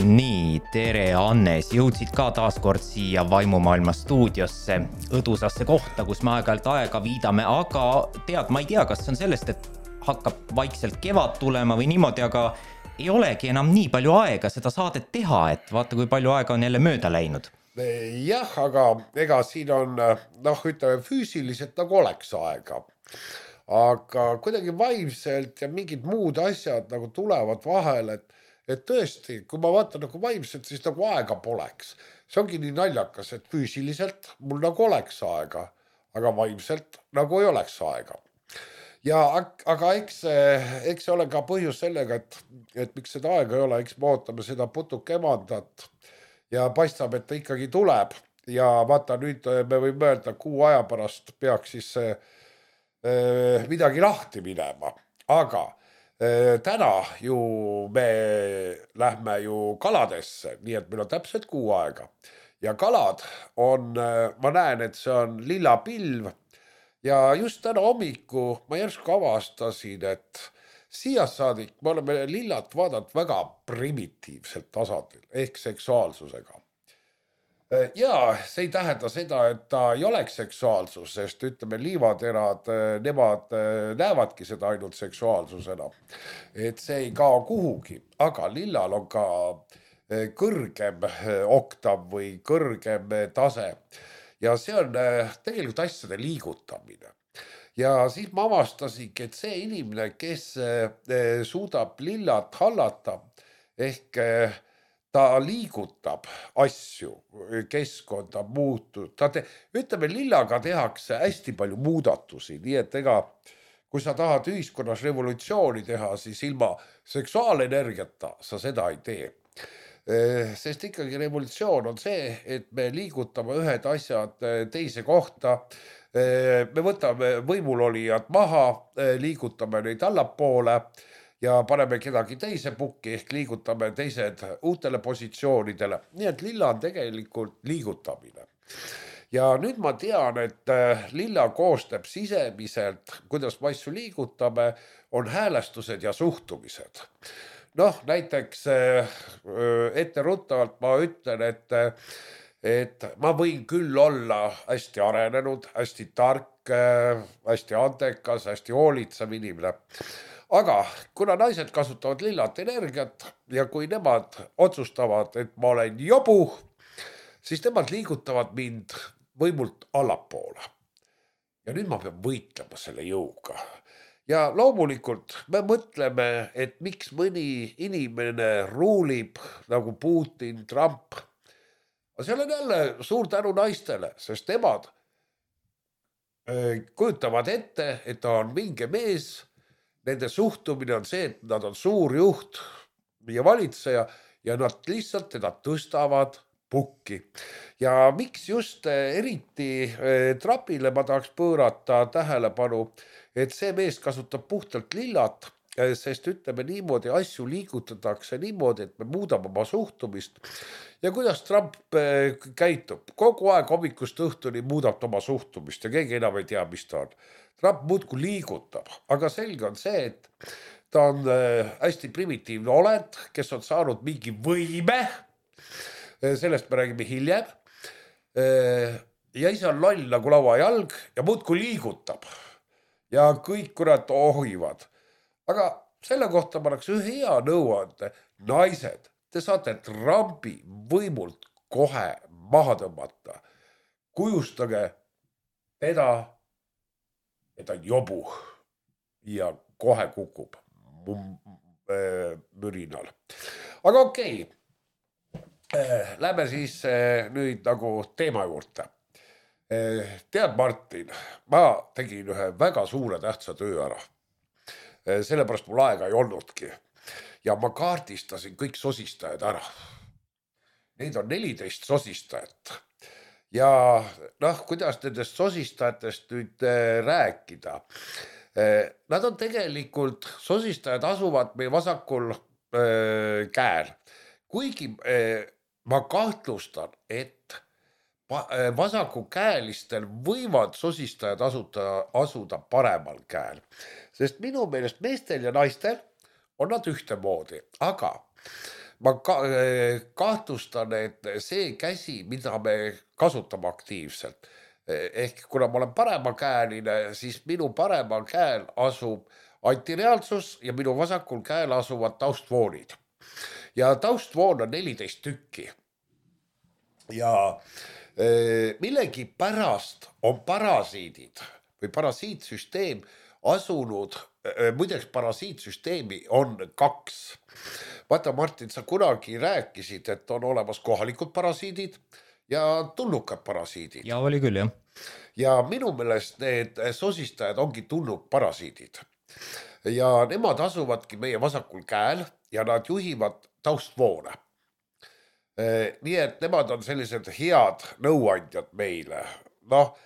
Nii, tere Annes, jõudsid ka taas kord siia Vaimumaailma stuudiosse, õdusasse kohta, kus me aeg-ajalt aega viidame, aga tead, ma ei tea, kas see on sellest, et hakkab vaikselt kevad tulema või niimoodi, aga ei olegi enam nii palju aega seda saadet teha, et vaata, kui palju aega on jälle mööda läinud. Jah, aga ega siin on, ütleme füüsiliselt nagu oleks aega, aga kuidagi vaimselt ja mingid muud asjad nagu tulevad vahel, et tõesti, kui ma vaatan nagu vaimselt, siis nagu aega poleks. See ongi nii naljakas, et füüsiliselt mul nagu oleks aega, aga vaimselt nagu ei oleks aega. Ja aga eks see ole ka põhjus sellega, et miks seda aega ei ole, eks me ootame seda putukemandat ja paistab, et ta ikkagi tuleb. Ja vaata, nüüd me võime öelda, kuu aja pärast peaks siis midagi lahti minema. Aga täna ju me lähme ju kaladesse, nii et meil on täpselt kuu aega. Ja kalad on, ma näen, et see on lilla pilv. Ja just täna hommiku ma järsku avastasin, et siia saadik me oleme lillat vaadanud väga primitiivselt tasandil ehk seksuaalsusega. Ja see ei tähenda seda, et ta ei oleks seksuaalsus, sest ütleme liivaterad, nemad näevadki seda ainult seksuaalsusena. Et see ei kao kuhugi, aga lillal on ka kõrgem oktav või kõrgem tase. Ja see on tegelikult asjade liigutamine. Ja siis ma avastasingi, et see inimene, kes suudab lillat hallata, ehk ta liigutab asju, keskkonda muutub. Ütleme, lillaga tehakse hästi palju muudatusi, nii et kui sa tahad ühiskonnas revolutsiooni teha, siis ilma seksuaalenergiata sa seda ei tee. Sest ikkagi revolutsioon on see, et me liigutame ühed asjad teise kohta, me võtame võimulolijad maha, liigutame neid allapoole ja paneme kedagi teise pukki ehk liigutame teised uutele positsioonidele. Nii et lilla on tegelikult liigutamine. Ja nüüd ma tean, et lilla koostab sisemiselt, kuidas me asju liigutame, on häälestused ja suhtumised. Näiteks etteruttavalt ma ütlen, et ma võin küll olla hästi arenenud, hästi tark, hästi andekas, hästi hoolitsev inimene. Aga kuna naised kasutavad lillat energiat ja kui nemad otsustavad, et ma olen jobu, siis nemad liigutavad mind võimult allapoole. Ja nüüd ma pean võitlema selle jõuga. Ja loomulikult me mõtleme, et miks mõni inimene ruulib nagu Putin, Trump. Aga seal on jälle suur tänu naistele, sest nemad kujutavad ette, et ta on mingi mees. Nende suhtumine on see, et nad on suur juht ja valitseja ja nad lihtsalt teda tõstavad pukki. Ja miks just eriti Trumpile ma tahaks pöörata tähelepanu, et see mees kasutab puhtalt lillat, sest ütleme niimoodi, asju liigutatakse niimoodi, et me muudame oma suhtumist. Ja kuidas Trump käitub? Kogu aeg hommikust õhtuni muudab oma suhtumist ja keegi enam ei tea, mis ta on. Trump muudku liigutab, aga selge on see, et ta on hästi primitiivne olend, kes on saanud mingi võime, sellest me räägime hiljem, ja ise on loll nagu lauajalg ja muudku liigutab ja kõik kurat ohivad. Aga selle kohta ma oleks ühe hea nõuande, naised, te saate Trumpi võimult kohe maha tõmmata. Kujustage teda, et on jobu ja kohe kukub mürinal. Aga okei, lähme siis nüüd nagu teema juurde. Tead, Martin, ma tegin ühe väga suure tähtsa töö ära. Sellepärast mul aega ei olnudki. Ja ma kaardistasin kõik sosistajad ära. Neid on 14 sosistajat. Ja kuidas nendest sosistajatest nüüd rääkida? Nad on tegelikult, sosistajad asuvad meie vasakul käel. Kuigi ma kahtlustan, et vasakukäelistel võivad sosistajad asuda paremal käel. Sest minu meelest meestel ja naistel on nad ühtemoodi, aga ma kahtlustan, et see käsi, mida me kasutame aktiivselt, ehk kuna ma olen paremakäeline, siis minu paremal käel asub antireaalsus ja minu vasakul käel asuvad taustvoonid. Ja taustvoon on 14 tükki. Ja millegi pärast on parasiidid või parasiitsüsteem asunud, muideks parasiitsüsteemi on 2. Vaata, Martin, sa kunagi rääkisid, et on olemas kohalikud parasiidid ja tulnukad parasiidid. Ja oli küll, jah. Ja minu meelest need sosistajad ongi tulnukparasiidid. Ja nemad asuvadki meie vasakul käel ja nad juhivad taustvoone. Nii et nemad on sellised head nõuandjad meile. Noh,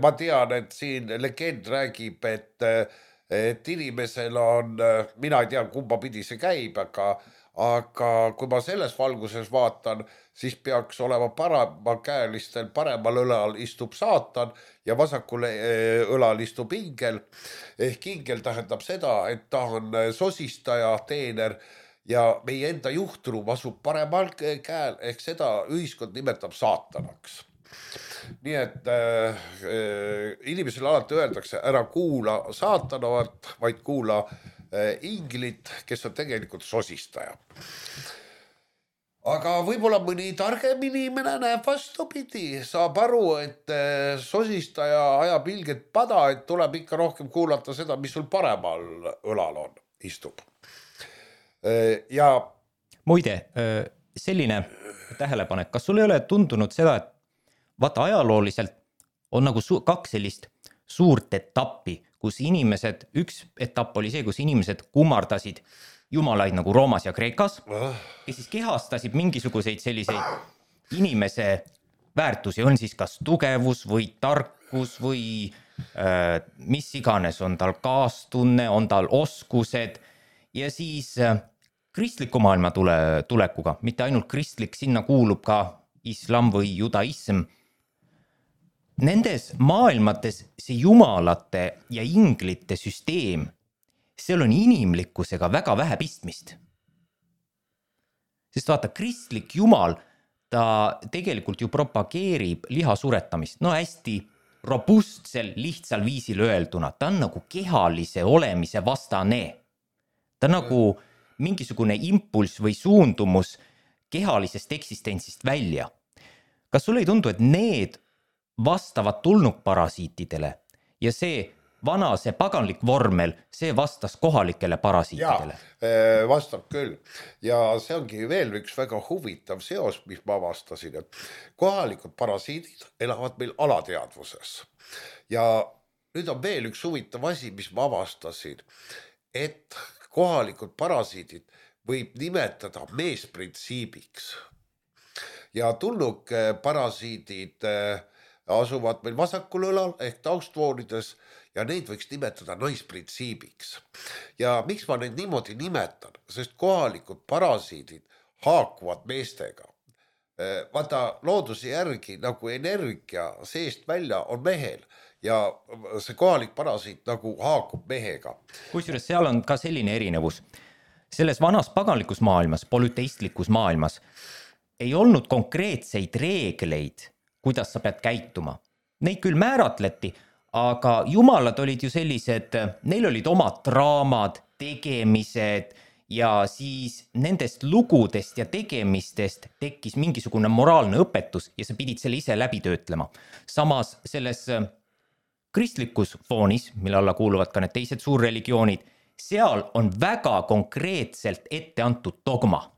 ma tean, et siin legend räägib, et inimesel on, mina ei tea, kumba pidi see käib, aga kui ma selles valguses vaatan, siis peaks olema paremakäelistel, paremal õlal istub saatan ja vasakul õlal istub ingel. Ehk ingel tähendab seda, et ta on sosistaja, teener ja meie enda juhtruum asub paremal käel, ehk seda ühiskond nimetab saatanaks. Nii et inimesele alati öeldakse, ära kuula saatanovat, vaid kuula inglit, kes on tegelikult sosistaja. Aga võib-olla mõni targem inimene näeb vastupidi, saab aru, et sosistaja ajab ilget pada, et tuleb ikka rohkem kuulata seda, mis sul paremal õlal on, istub. Ja muide, selline tähelepanek, kas sul ei ole tundunud seda, et vaata ajalooliselt on nagu 2 sellist suurt etappi, kus inimesed, üks etapp oli see, kus inimesed kummardasid jumalaid nagu Roomas ja Kreekas, kes siis kehastasid mingisuguseid selliseid inimese väärtusi, on siis kas tugevus või tarkus või mis iganes, on tal kaastunne, on tal oskused ja siis kristliku maailma tulekuga, mitte ainult kristlik, sinna kuulub ka islam või judaism. Nendes maailmates see jumalate ja inglite süsteem, seal on inimlikkusega väga vähe pistmist. Sest vaata, kristlik jumal, ta tegelikult ju propageerib liha suretamist. No hästi robustsel, lihtsal viisil öelduna. Ta on nagu kehalise olemise vastane. Ta on nagu mingisugune impulss või suundumus kehalisest eksistentsist välja. Kas sulle ei tundu, et need vastavad tulnukparasiitidele ja see vana, see paganlik vormel, see vastas kohalikele parasiitidele? Ja, vastab küll. Ja see ongi veel üks väga huvitav seos, mis ma avastasin, et kohalikud parasiidid elavad meil alateadvuses. Ja nüüd on veel üks huvitav asi, mis ma avastasin, et kohalikud parasiidid võib nimetada meesprintsiibiks. Ja tulnukparasiidid asuvad meil vasakul õlal ehk taustvoonides ja neid võiks nimetada naisprintsiibiks. Ja miks ma neid niimoodi nimetan? Sest kohalikud parasiidid haakuvad meestega. Vaata, looduse järgi nagu energia seest välja on mehel ja see kohalik parasiit nagu haakub mehega. Kusjuures seal on ka selline erinevus. Selles vanas paganlikus maailmas, polüteistlikus maailmas ei olnud konkreetseid reegleid, kuidas sa pead käituma. Neid küll määratleti, aga jumalad olid ju sellised, neil olid omad draamad, tegemised ja siis nendest lugudest ja tegemistest tekkis mingisugune moraalne õpetus ja sa pidid selle ise läbi töötlema. Samas selles kristlikus foonis, mille alla kuuluvad ka need teised suurreligioonid, seal on väga konkreetselt ette antud dogma.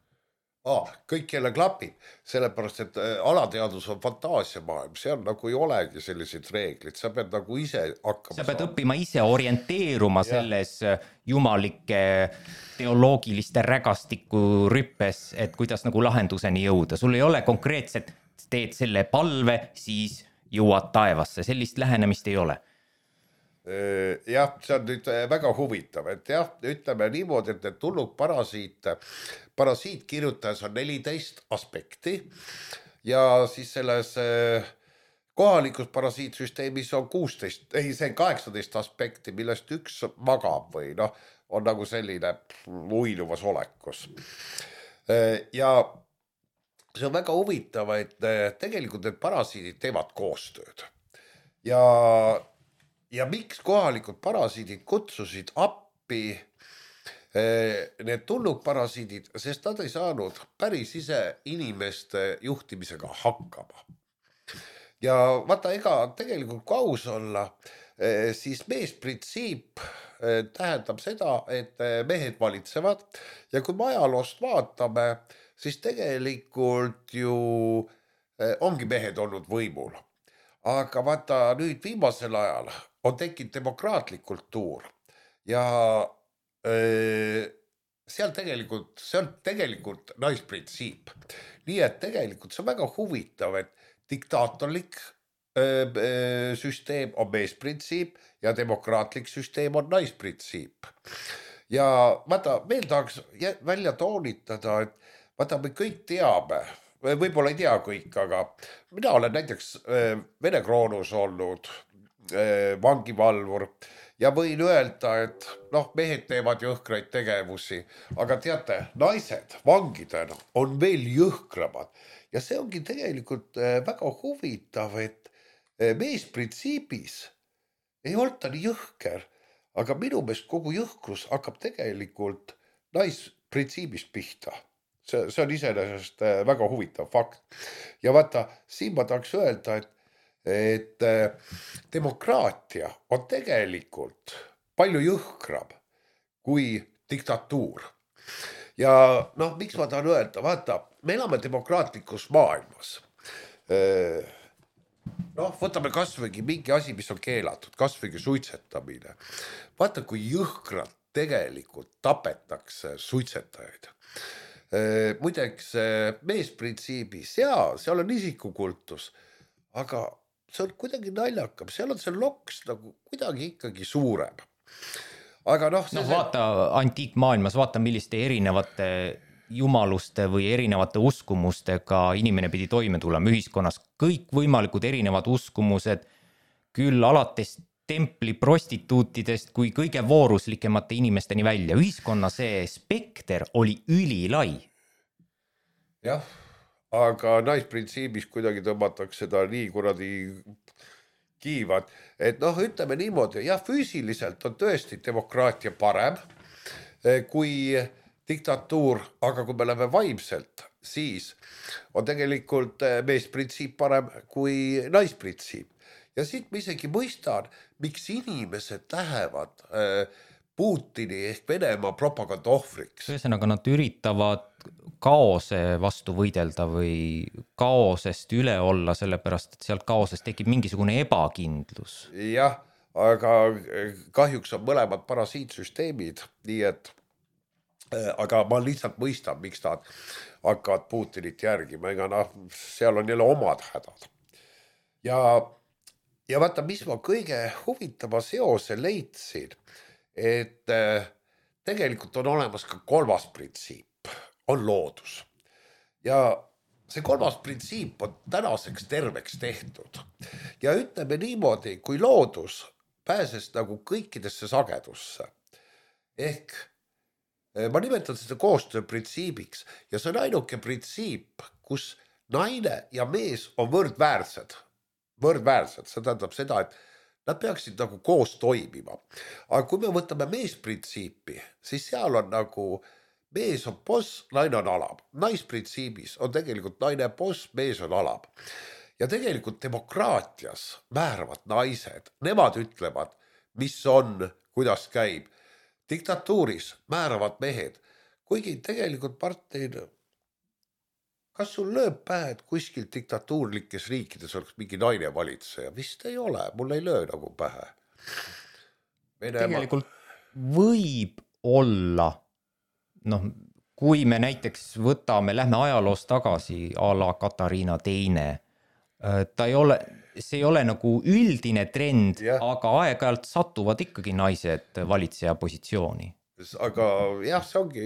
Kõik jälle klapib, sellepärast, et alateadus on fantaasiamaailm, seal nagu ei olegi selliseid reeglid, sa pead nagu ise hakkama. Sa pead õppima ise orienteeruma selles jumalike teoloogiliste rägastiku rüppes, et kuidas nagu lahenduseni jõuda. Sul ei ole konkreetselt, teed selle palve, siis jõuad taevasse, sellist lähenemist ei ole. Jah, see on nüüd väga huvitav, et jah, ütleme niimoodi, et tulnud parasiitkirjutajas on 14 aspekti ja siis selles kohalikus parasiitsüsteemis on 16, see on 18 aspekti, millest üks magab või on nagu selline uinuvas olekus. Ja see on väga huvitav, et tegelikult need parasiidid teevad koostööd ja, ja miks kohalikud parasiidid kutsusid appi need tulnukparasiidid, sest nad ei saanud päris ise inimeste juhtimisega hakkama. Ja vaata, ega tegelikult kui aus olla, siis meesprintsiip tähendab seda, et mehed valitsevad ja kui me ajaloost vaatame, siis tegelikult ju ongi mehed olnud võimul. Aga vaata nüüd viimasel ajal on tekkinud demokraatlik kultuur ja see on tegelikult naisprintsiip. Nii et tegelikult see on väga huvitav, et diktaatorlik süsteem on meesprintsiip ja demokraatlik süsteem on naisprintsiip. Ja vaata, veel tahaks välja toonitada, et vaata, me kõik teame, võib-olla ei tea kõik, aga mina olen näiteks Vene kroonus olnud vangivalvur ja võin öelda, et mehed teevad jõhkraid tegevusi, aga teate, naised vangidena on veel jõhkramad ja see ongi tegelikult väga huvitav, et meesprintsiibis ei olnud ta nii jõhker, aga minu meelest kogu jõhkrus hakkab tegelikult naisprintsiibist pihta. See on iseenesest väga huvitav fakt. Ja vaata, siin ma tahaks öelda, et demokraatia on tegelikult palju jõhkram kui diktatuur. Ja miks ma tahan öelda, vaata, me elame demokraatlikus maailmas. Võtame kasvõigi mingi asi, mis on keelatud, kasvõigi suitsetamine. Vaata, kui jõhkralt tegelikult tapetakse suitsetajaid. Muideks meesprintsiibis, seal on isikukultus, aga see on kuidagi naljakam, seal on see loks nagu kuidagi ikkagi suurem. Aga vaata antiikmaailmas, vaata milliste erinevate jumaluste või erinevate uskumustega inimene pidi toime tulema ühiskonnas. Kõik võimalikud erinevad uskumused, küll alates templi prostituutidest kui kõige vooruslikemate inimesteni välja. Ühiskonna see spekter oli ülilai. Jah, aga naisprintsiibis kuidagi tõmmatakse seda nii kuradi kiivad, et ütleme niimoodi, jah, füüsiliselt on tõesti demokraatia parem kui diktatuur, aga kui me läheme vaimselt, siis on tegelikult meesprintsiip parem kui naisprintsiip. Ja siit ma isegi mõistan, miks inimesed lähevad Putini ehk Venemaa propaganda ohvriks. Ühesõnaga, nad üritavad kaose vastu võidelda või kaosest üle olla, sellepärast, et sealt kaosest tekib mingisugune ebakindlus. Jah, aga kahjuks on mõlemad parasiitsüsteemid, nii et aga ma lihtsalt mõistan, miks nad hakkavad Putinit järgima, ega seal on jälle omad hädad. Ja vaata, mis ma kõige huvitava seose leidsin, et tegelikult on olemas ka kolmas printsiip, on loodus. Ja see kolmas printsiip on tänaseks terveks tehtud. Ja ütleme niimoodi, kui loodus pääses nagu kõikidesse sagedusse, ehk ma nimetan seda koostööprintsiibiks ja see on ainuke printsiip, kus naine ja mees on võrdväärsed, see tähendab seda, et nad peaksid nagu koos toimima. Aga kui me võtame meesprintsiipi, siis seal on nagu mees on boss, naine on alab. Naisprintsiibis on tegelikult naine boss, mees on alab. Ja tegelikult demokraatias määravad naised, nemad ütlevad, mis on, kuidas käib. Diktatuuris määravad mehed, kuigi tegelikult Martin, kas sul lööb pähe, et kuskil diktatuurlikes riikides oleks mingi naine valitseja? Vist ei ole, mul ei löö nagu pähe. Tegelikult võib olla, kui me näiteks võtame, lähme ajaloos tagasi a la Katariina II, see ei ole nagu üldine trend, aga aeg-ajalt satuvad ikkagi naised valitseja positsiooni. Aga jah, see ongi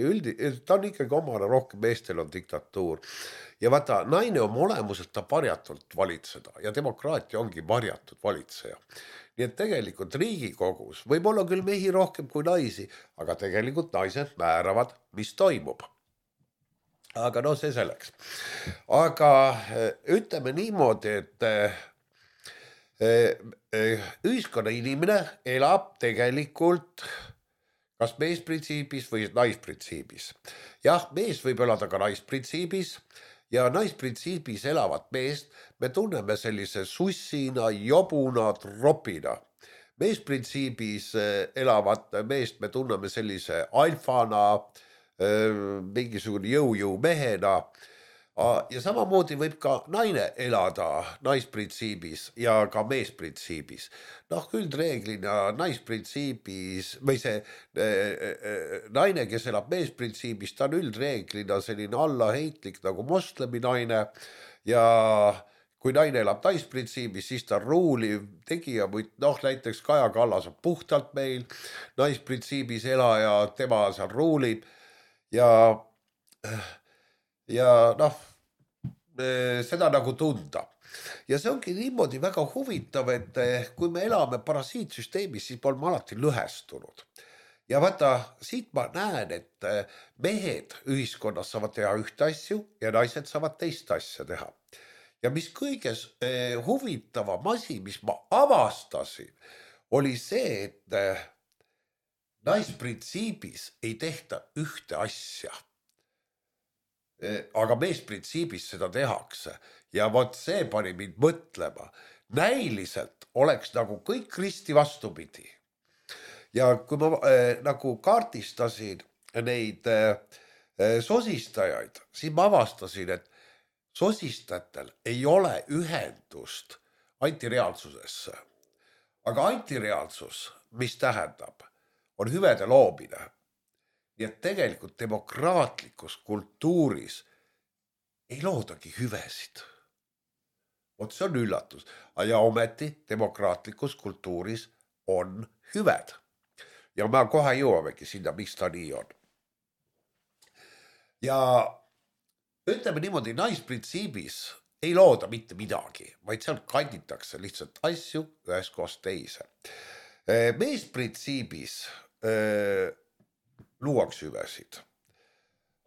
ta on ikkagi omane, rohkem meestel on diktatuur. Ja vaata, naine on olemuselt ta varjatult valitseda ja demokraatia ongi varjatud valitseja. Nii et tegelikult Riigikogus võib olla küll mehi rohkem kui naisi, aga tegelikult naised määravad, mis toimub. aga no see selleks. Aga ütleme niimoodi, et ühiskonna inimene elab tegelikult kas meesprintsiibis või naisprintsiibis. Jah, mees võib elada ka naisprintsiibis ja naisprintsiibis elavat meest me tunneme sellise sussina, jobuna, tropina. Meesprintsiibis elavat meest me tunneme sellise alfana, mingisugune jõu mehena. Ja samamoodi võib ka naine elada naisprintsiibis ja ka meesprintsiibis. Noh, üldreeglina naisprintsiibis või see naine, kes elab meesprintsiibis, ta on üldreeglina selline allaheitlik nagu moslemi naine ja kui naine elab naisprintsiibis, siis ta on ruuliv tegija, noh näiteks Kaja Kallas on puhtalt meil naisprintsiibis elaja, tema seal ruulib ja noh, seda nagu tunda. Ja see ongi niimoodi väga huvitav, et kui me elame parasiitsüsteemis, siis me oleme alati lõhestunud. Ja vaata, siit ma näen, et mehed ühiskonnas saavad teha ühte asju ja naised saavad teist asja teha. Ja mis kõiges huvitavam asi, mis ma avastasin, oli see, et naisprintsiibis ei tehta ühte asja. Aga meesprintsiibis seda tehakse ja vot see pani mind mõtlema. Näiliselt oleks nagu kõik risti vastupidi. Ja kui ma nagu kaartistasin neid sosistajaid, siis ma avastasin, et sosistajatel ei ole ühendust antireaalsusesse. Aga antireaalsus, mis tähendab, on hüvede loomine. Nii et tegelikult demokraatlikus kultuuris ei loodagi hüvesid. Vot see on üllatus. Ja ometi demokraatlikus kultuuris on hüved. Ja me kohe jõuamegi sinna, miks ta nii on. Ja ütleme niimoodi, naisprintsiibis ei looda mitte midagi, vaid seal kanditakse lihtsalt asju ühest kohast teise. Meesprintsiibis luuakse hüvesid.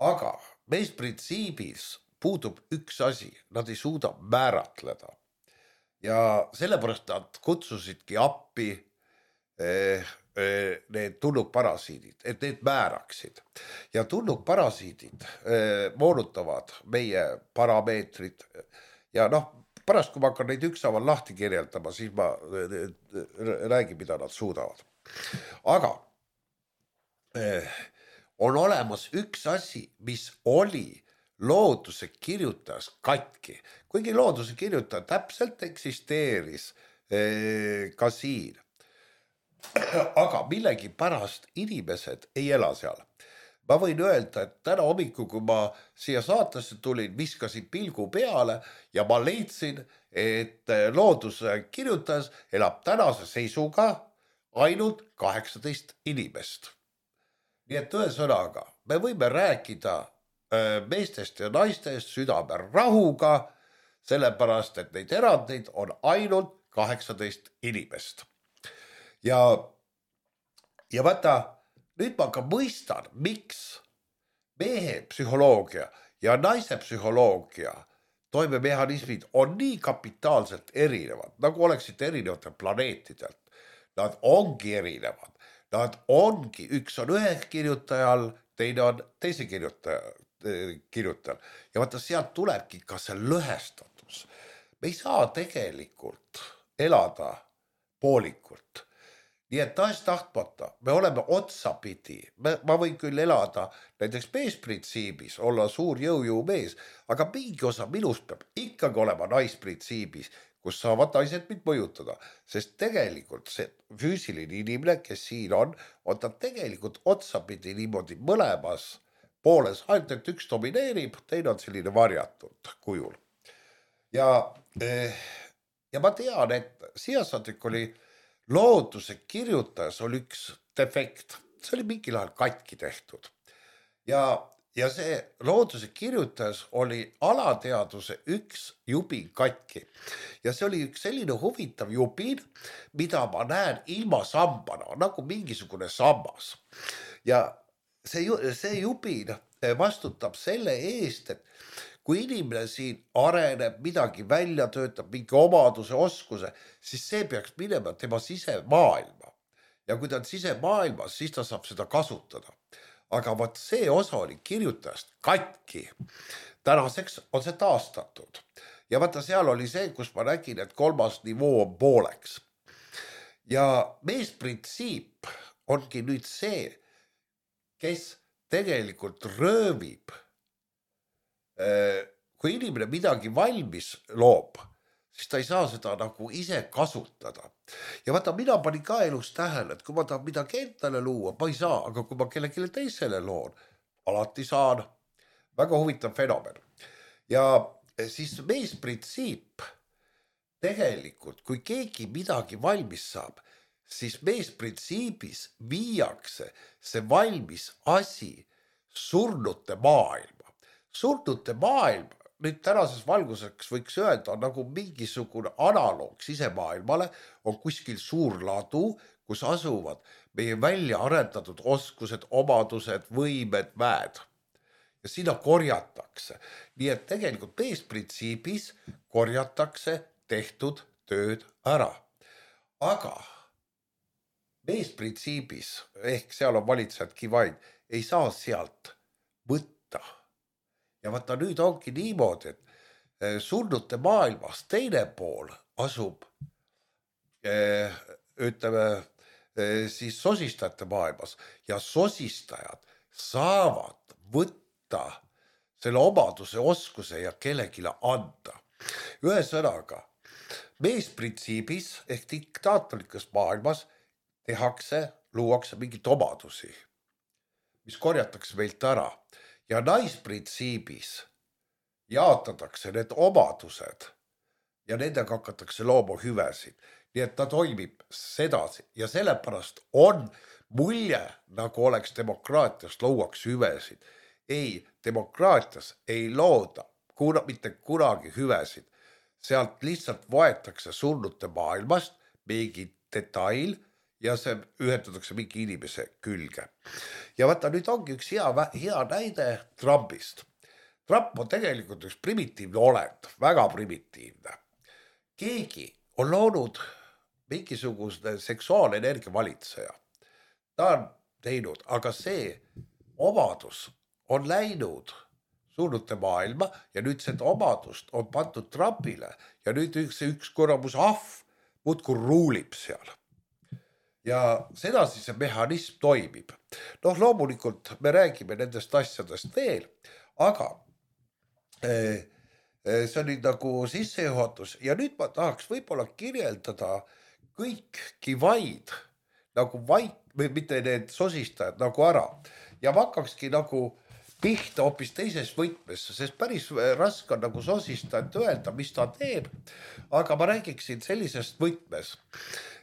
Aga meesprintsiibis puudub üks asi, nad ei suuda määratleda. Ja sellepärast nad kutsusidki appi need tulnukparasiidid, et need määraksid. Ja tulnukparasiidid moonutavad meie parameetrid ja noh, pärast kui ma hakkan neid ükshaaval lahti kirjeldama, siis ma räägin, mida nad suudavad. Aga on olemas üks asi, mis oli looduse kirjutajas katki. Kuigi looduse kirjutaja täpselt eksisteeris ka siin. Aga millegi pärast inimesed ei ela seal. Ma võin öelda, et täna hommikul, kui ma siia saatesse tulin, viskasin pilgu peale ja ma leidsin, et looduse kirjutajas elab tänase seisuga ainult 18 inimest. Nii et ühesõnaga, me võime rääkida meestest ja naistest südame rahuga, sellepärast, et neid erandeid on ainult 18 inimest. Ja vaata, nüüd ma ka mõistan, miks mehe psühholoogia ja naise psühholoogia toimemehhanismid on nii kapitaalselt erinevad, nagu oleksid erinevatel planeetidelt. Nad ongi erinevad. Nad ongi, üks on ühe kirjutajal, teine on teise kirjutajal. Ja vaata, sealt tulebki ka see lõhestatus. Me ei saa tegelikult elada poolikult. Nii et tahtmata, me oleme otsapidi. Ma võin küll elada näiteks meesprintsiibis, olla suur jõu mees, aga mingi osa minust peab ikkagi olema naisprintsiibis, kus saavad naised mind mõjutada, sest tegelikult see füüsiline inimene, kes siin on ta tegelikult otsapidi niimoodi mõlemas pooles, ainult et üks domineerib, teine on selline varjatud kujul. Ja ma tean, et siiasadik oli looduse kirjutajas oli üks defekt, see oli mingil ajal katki tehtud. Ja see looduse kirjutajas oli alateaduse üks jubin katki. Ja see oli üks selline huvitav jubin, mida ma näen ilma sambana, nagu mingisugune sammas. Ja see jubin vastutab selle eest, et kui inimene siin areneb, midagi välja töötab, mingi omaduse, oskuse, siis see peaks minema tema sisemaailma. Ja kui ta on sisemaailmas, siis ta saab seda kasutada. Aga vaat see osa oli kirjutajast katki. Tänaseks on see taastatud. Ja vaata seal oli see, kus ma nägin, et 3. nivoo on pooleks. Ja meesprintsiip ongi nüüd see, kes tegelikult röövib. Kui inimene midagi valmis loob, siis ta ei saa seda nagu ise kasutada. Ja vaata, mina panin ka elus tähele, et kui ma tahan midagi endale luua, ma ei saa, aga kui ma kellelegi teisele loon, alati saan. Väga huvitav fenomen. Ja siis meesprintsiip tegelikult, kui keegi midagi valmis saab, siis meesprintsiibis viiakse see valmis asi surnute maailma. Surnute maailm, nüüd tänases valguseks võiks öelda, on nagu mingisugune analoog sisemaailmale, on kuskil suur ladu, kus asuvad meie välja arendatud oskused, omadused, võimed, väed. Ja sinna korjatakse. Nii et tegelikult meesprintsiibis korjatakse tehtud tööd ära. Aga meesprintsiibis, ehk seal on valitsejadki vaid, ei saa sealt võtta. Ja vaata nüüd ongi niimoodi, et surnute maailmas teine pool asub, ütleme, siis sosistajate maailmas ja sosistajad saavad võtta selle omaduse, oskuse ja kellegile anda. Ühesõnaga, meesprintsiibis ehk diktaatorlikas maailmas luuakse mingit omadusi, mis korjatakse meilt ära. Ja naisprintsiibis jaotatakse need omadused ja nendega hakatakse looma hüvesid. Nii et ta toimib sedasi ja sellepärast on mulje, nagu oleks demokraatias luuakse hüvesid. Ei, demokraatias ei looda mitte kunagi hüvesid. Sealt lihtsalt võetakse surnute maailmast mingi detail ja see ühendatakse mingi inimese külge. Ja vaata, nüüd ongi üks hea näide Trumpist. Trump on tegelikult üks primitiivne olend, väga primitiivne. Keegi on loonud mingisugune seksuaalenergia valitseja. Ta on teinud, aga see omadus on läinud surnute maailma ja nüüd seda omadust on pandud Trumpile ja nüüd üks korramus ahv muudkui ruulib seal. Ja sedasi see mehhanism toimib. Loomulikult me räägime nendest asjadest veel, aga see on nüüd nagu sissejuhatus ja nüüd ma tahaks võib-olla kirjeldada kõiki vaid nagu või mitte need sosistajad nagu ära. Ja ma hakkakski nagu pihta hoopis teises võtmes, sest päris raske on nagu sosistajat öelda, mis ta teeb, aga ma räägiksin sellisest võtmes,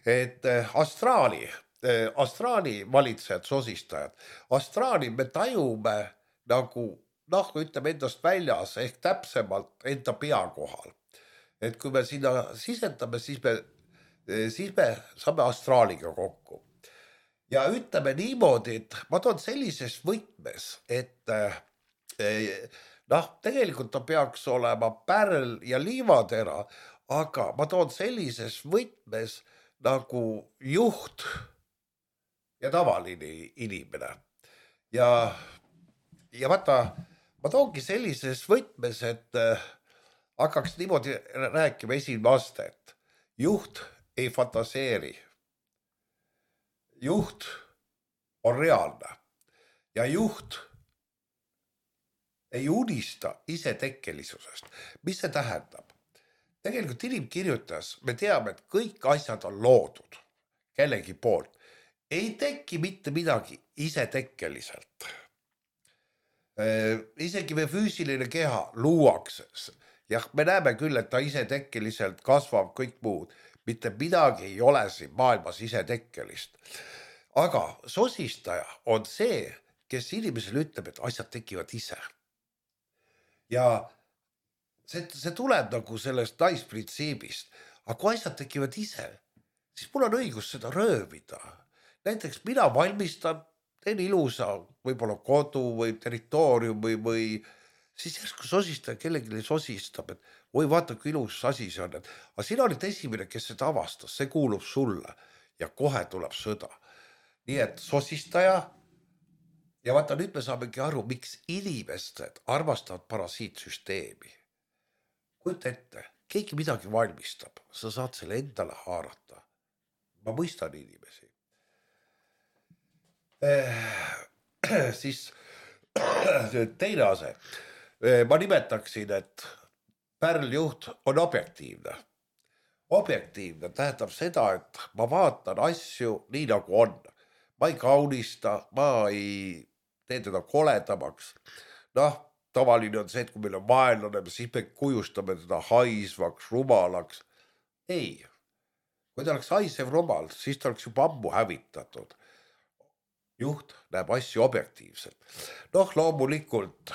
et astraali valitsejad, sosistajad, astraali me tajume nagu, ütleme endast väljas ehk täpsemalt enda pea kohal. Et kui me sinna sisendame, siis me saame astraaliga kokku. Ja ütleme niimoodi, et ma toon sellises võtmes, et tegelikult ta peaks olema pärl ja liivatera, aga ma toon sellises võtmes nagu juht ja tavaline inimene. Ja vaata, ma toongi sellises võtmes, et hakkaks niimoodi rääkima esimene aste, et juht ei fantaseeri. Juht on reaalne ja juht ei unista isetekkelisusest. Mis see tähendab? Tegelikult inimkirjutas me teame, et kõik asjad on loodud kellegi poolt. Ei teki mitte midagi isetekkeliselt. Isegi me füüsiline keha luuakse. Jah, me näeme küll, et ta isetekkeliselt kasvab kõik muud. Mitte midagi ei ole siin maailmas isetekkelist. Aga sosistaja on see, kes inimesele ütleb, et asjad tekivad ise. Ja see tuleb nagu sellest naisprintsiibist. Aga kui asjad tekivad ise, siis mul on õigus seda röövida. Näiteks mina valmistan teen ilusa, võib-olla kodu või territoorium või siis järsku sosistaja kellelegi sosistab, et oi, vaata, kui ilus asi see on. Aga sina olid esimene, kes seda avastas, see kuulub sulle ja kohe tuleb sõda. Nii et sosistaja ja vaata, nüüd me saamegi aru, miks inimesed armastavad parasiitsüsteemi. Kujuta ette, keegi midagi valmistab, sa saad selle endale haarata. Ma mõistan inimesi. Siis teine ase. Ma nimetaksin, et pärljuht on objektiivne. Objektiivne tähendab seda, et ma vaatan asju nii nagu on. Ma ei kaunista, ma ei tee teda koledamaks. Noh, tavaline on see, et kui meil on vaenlane, siis me kujustame teda haisvaks, rumalaks. Ei, kui ta oleks haisev rumal, siis ta oleks juba ammu hävitatud. Juht näeb asju objektiivselt. Noh, loomulikult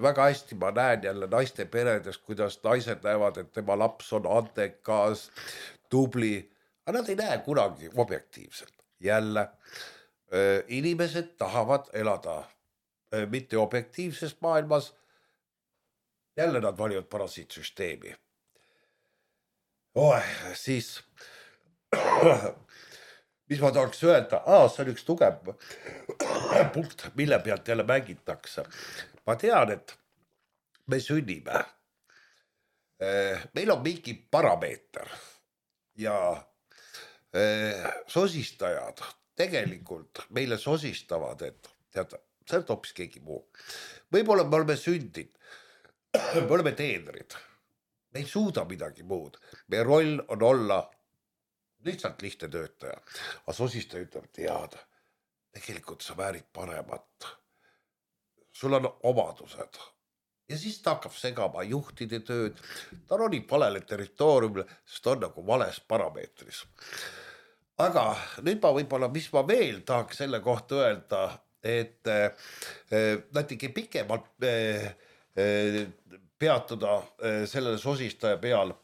väga hästi ma näen jälle naiste peredes, kuidas naised näevad, et tema laps on antekas, tubli, aga nad ei näe kunagi objektiivselt. Jälle, inimesed tahavad elada mitte objektiivses maailmas, jälle nad valivad parasiitsüsteemi. Siis mis ma tahaks öelda, see on üks tugev punkt, mille pealt jälle mängitakse. Ma tean, et me sünnime. Meil on mingi parameeter ja sosistajad tegelikult meile sosistavad, et tead, see on hoopis keegi muu. Võib-olla me oleme sündid, me oleme teenrid, me ei suuda midagi muud. Meie roll on olla lihtsalt lihtne töötaja. Aga sosistaja ütleb, tead, tegelikult sa väärid paremat. Sul on omadused. Ja siis ta hakkab segama juhtide tööd. Ta ronib valele territooriumile, sest on nagu vales parameetris. Aga nüüd ma võib-olla, mis ma veel tahaks selle kohta öelda, et natuke pikemalt peatuda sellele sosistaja peal.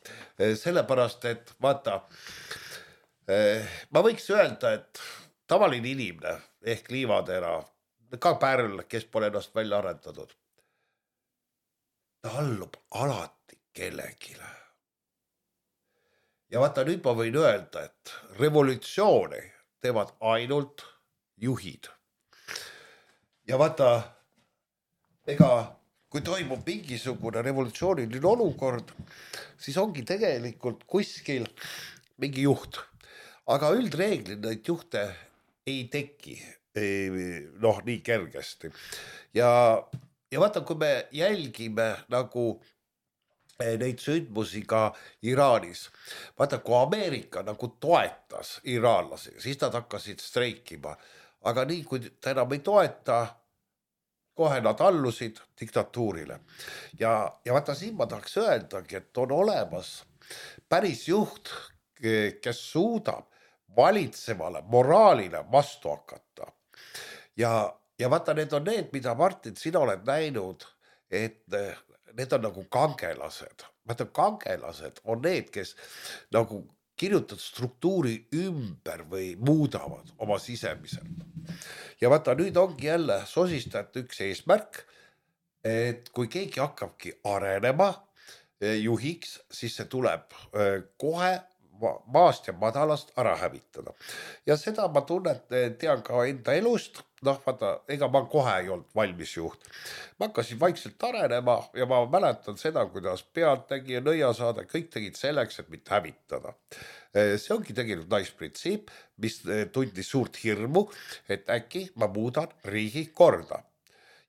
Sellepärast, et vaata, ma võiks öelda, et tavaline inimene ehk liivatera, ka pärl, kes pole ennast välja arendatud, ta allub alati kellegile. Ja vaata, nüüd ma võin öelda, et revolutsiooni teevad ainult juhid. Ja vaata, ega kui toimub mingisugune revolutsiooniline olukord, siis ongi tegelikult kuskil mingi juht. Aga üldreeglid neid juhte ei teki nii kergesti. Ja vaata, kui me jälgime nagu neid sündmusi ka Iraanis. Vaata, kui Ameerika nagu toetas iraanlasi, siis nad hakkasid streikima. Aga nii, kui ta enam ei toeta, kohe nad allusid diktatuurile. Ja vaata, siin ma tahaks öeldagi, et on olemas päris juht, kes suudab valitsevale moraalile vastu hakata. Ja vaata, need on need, mida Martin, sina oled näinud, et need on nagu kangelased. Vaata, kangelased on need, kes nagu kirjutavad struktuuri ümber või muudavad oma sisemiselt. Ja vaata, nüüd ongi jälle sosistajate üks eesmärk, et kui keegi hakkabki arenema juhiks, siis see tuleb kohe maast ja madalast ära hävitada. Ja seda ma tean ka enda elust. Noh, vaata, ega ma kohe ei olnud valmis juht. Ma hakkasin vaikselt arenema ja ma mäletan seda, kuidas Pealtnägija, Nõiasaade, kõik tegid selleks, et mitte hävitada. See ongi tegelikult naisprintsiip, mis tundis suurt hirmu, et äkki ma muudan riigi korda.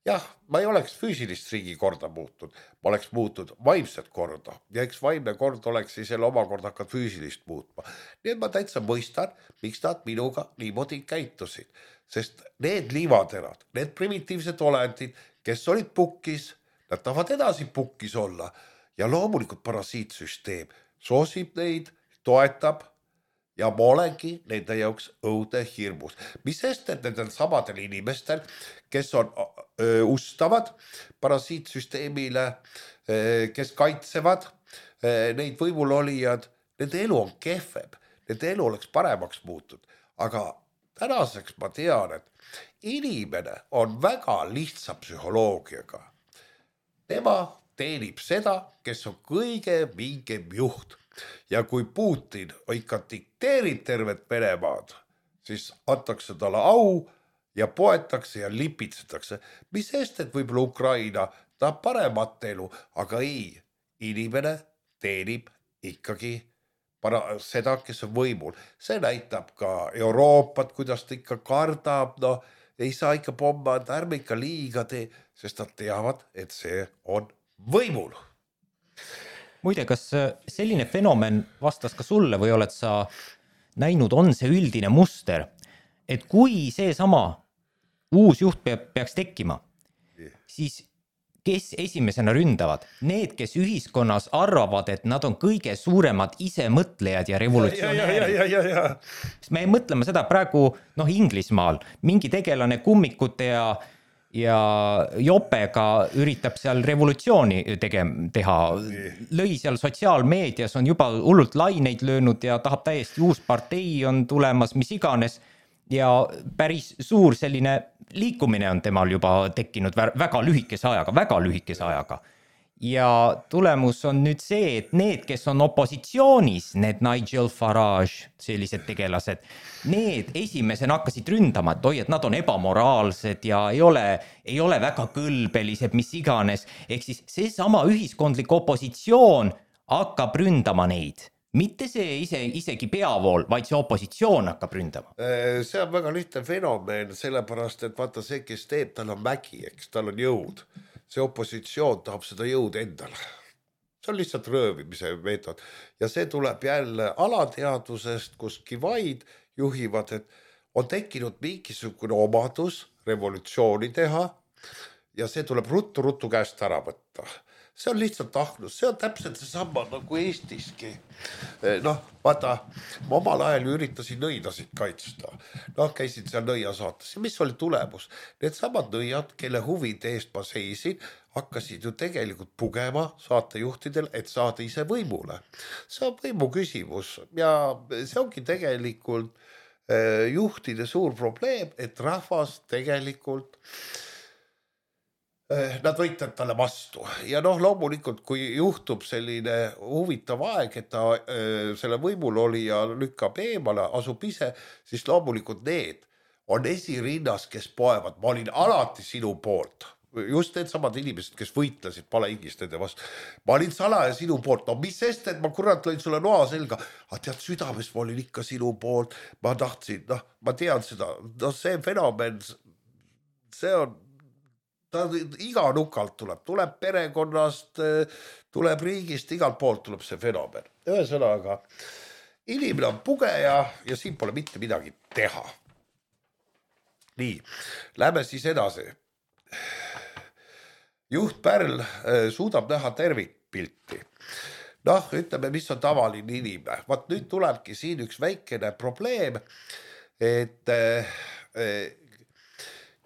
Jah, ma ei oleks füüsilist riigi korda muutnud, ma oleks muutnud vaimset korda ja eks vaimne kord oleks siis selle omakorda hakkad füüsilist muutma. Nii et ma täitsa mõistan, miks nad minuga niimoodi käitusid, sest need liivaterad, need primitiivsed olendid, kes olid pukkis, nad tahavad edasi pukkis olla ja loomulikult parasiitsüsteem soosib neid, toetab ja ma olengi nende jaoks õudne hirmus. Mis sest, et nendel samadel inimestel, kes on ustavad parasiitsüsteemile, kes kaitsevad neid võimulolijad, nende elu on kehvem, nende elu oleks paremaks muutud, aga tänaseks ma tean, et inimene on väga lihtsa psühholoogiaga. Tema teenib seda, kes on kõige mingem juht. Ja kui Putin ikka dikteerib tervet Venemaad, siis antakse talle au ja poetakse ja lipitsetakse. Mis eest, et võib-olla Ukraina tahab paremat elu, aga ei, inimene teenib ikkagi seda, kes on võimul. See näitab ka Euroopat, kuidas ta ikka kardab, no ei saa ikka pommad, ärme ikka liiga tee, sest nad teavad, et see on võimul. Muide, kas selline fenomen vastas ka sulle või oled sa näinud, on see üldine muster, et kui see sama uus juht peaks tekkima, siis kes esimesena ründavad? Need, kes ühiskonnas arvavad, et nad on kõige suuremad isemõtlejad ja revolutsionäärid. Me mõtleme seda praegu Inglismaal, mingi tegelane kummikute ja jopega üritab seal revolutsiooni teha, lõi seal sotsiaalmeedias, on juba hullult laineid löönud ja tahab täiesti uus partei on tulemas, mis iganes, ja päris suur selline liikumine on temal juba tekkinud väga lühikese ajaga. Ja tulemus on nüüd see, et need, kes on opositsioonis, need Nigel Farage, sellised tegelased, need esimesena hakkasid ründama, et oi, et nad on ebamoraalsed ja ei ole väga kõlbelised, mis iganes. Ehk siis see sama ühiskondlik opositsioon hakkab ründama neid. Mitte see isegi peavool, vaid see opositsioon hakkab ründama. See on väga lihtne fenomen, sellepärast, et vaata see, kes teeb, tal on mägi, eks, tal on jõud. See opositsioon tahab seda jõud endale. See on lihtsalt röövimise meetod. Ja see tuleb jälle alateadusest, kus kivaid juhivad, et on tekkinud mingisugune omadus revolutsiooni teha ja see tuleb ruttu käest ära võtta. See on lihtsalt ahnus, see on täpselt see sama nagu Eestiski. Vaata, ma omal ajal üritasin nõidasid kaitsta. Käisin seal nõia saates ja mis oli tulemus? Need samad nõiad, kelle huvide eest ma seisin, hakkasid ju tegelikult pugema saatejuhtidel, et saada ise võimule. See on võimu küsimus ja see ongi tegelikult juhtide suur probleem, et rahvas tegelikult nad võitlevad talle vastu ja loomulikult, kui juhtub selline huvitav aeg, et ta selle võimul oli ja lükkab eemale, asub ise, siis loomulikult need on esirinnas, kes poevad. Ma olin alati sinu poolt. Just need samad inimesed, kes võitlesid palehigist nende vastu. Ma olin salaja sinu poolt. Mis sest, et ma kurat lõin sulle noa selga. Tead, südames ma olin ikka sinu poolt. Ma tahtsin, ma tean seda. See fenomen, see on ta iga nukalt tuleb perekonnast, tuleb riigist, igalt poolt tuleb see fenomen. Ühesõnaga, inimene on pugeja ja siin pole mitte midagi teha. Nii, lähme siis edasi. Juht Pärl suudab näha tervikpilti. Ütleme, mis on tavaline inimene. Vaat nüüd tulebki siin üks väikene probleem, et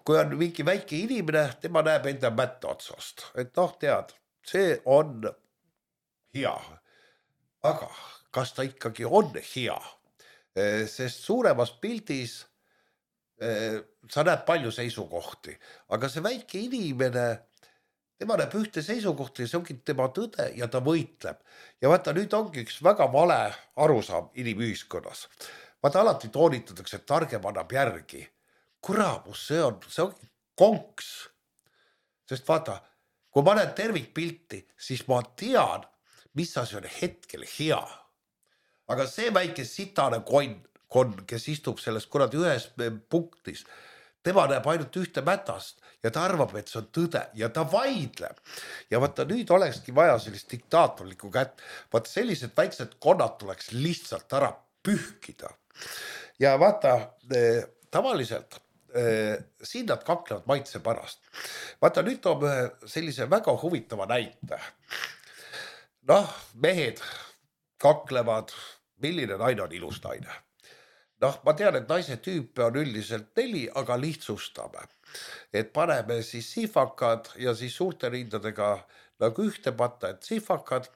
kui on mingi väike inimene, tema näeb enda mätta otsast. Et tead, see on hea. Aga kas ta ikkagi on hea? Sest suuremas pildis sa näed palju seisukohti. Aga see väike inimene, tema näeb ühte seisukohti ja see ongi tema tõde ja ta võitleb. Ja vaata, nüüd ongi üks väga vale arusaam inimühiskonnas. Vaata, alati toonitatakse, et targem annab järgi. Kuramus, see on konks. Sest vaata, kui ma näen tervikpilti, siis ma tean, mis asi on hetkel hea. Aga see väike sitane konn, kes istub selles ühes punktis, tema näeb ainult ühte mätast ja ta arvab, et see on tõde ja ta vaidleb. Ja vaata, nüüd olekski vaja sellist diktaatorlikku kätt. Vaata, sellised väiksed konnad tuleks lihtsalt ära pühkida. Ja vaata, tavaliselt siin nad kaklevad maitse pärast. Vaata, nüüd toome sellise väga huvitava näite. Mehed kaklevad, milline naine on ilus naine. Ma tean, et naise tüüpe on üldiselt 4, aga lihtsustame. Et paneme siis sihvakad ja siis suurte rindadega nagu ühte patta, et sihvakad